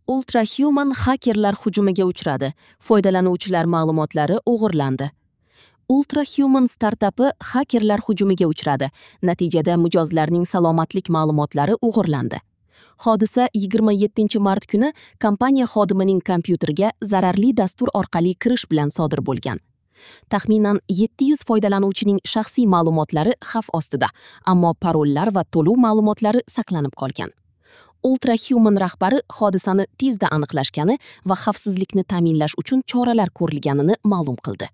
Ultrahuman xakerlar hujumiga uchradi. Foydalanuvchilar ma'lumotlari o'g'irlandi. Ultrahuman startapi xakerlar hujumiga uchradi. Natijada mijozlarning salomatlik ma'lumotlari o'g'irlandi. Hodisa 27-mart kuni kompaniya xodimining kompyuteriga zararli dastur orqali kirish bilan sodir bo'lgan. Taxminan 700 foydalanuvchining shaxsiy ma'lumotlari xavf ostida, ammo parollar va to'lov ma'lumotlari saqlanib qolgan. Ultrahuman rahbari hodisani tezda aniqlashgani va xavfsizlikni ta'minlash uchun choralar ko'rilganini ma'lum qildi.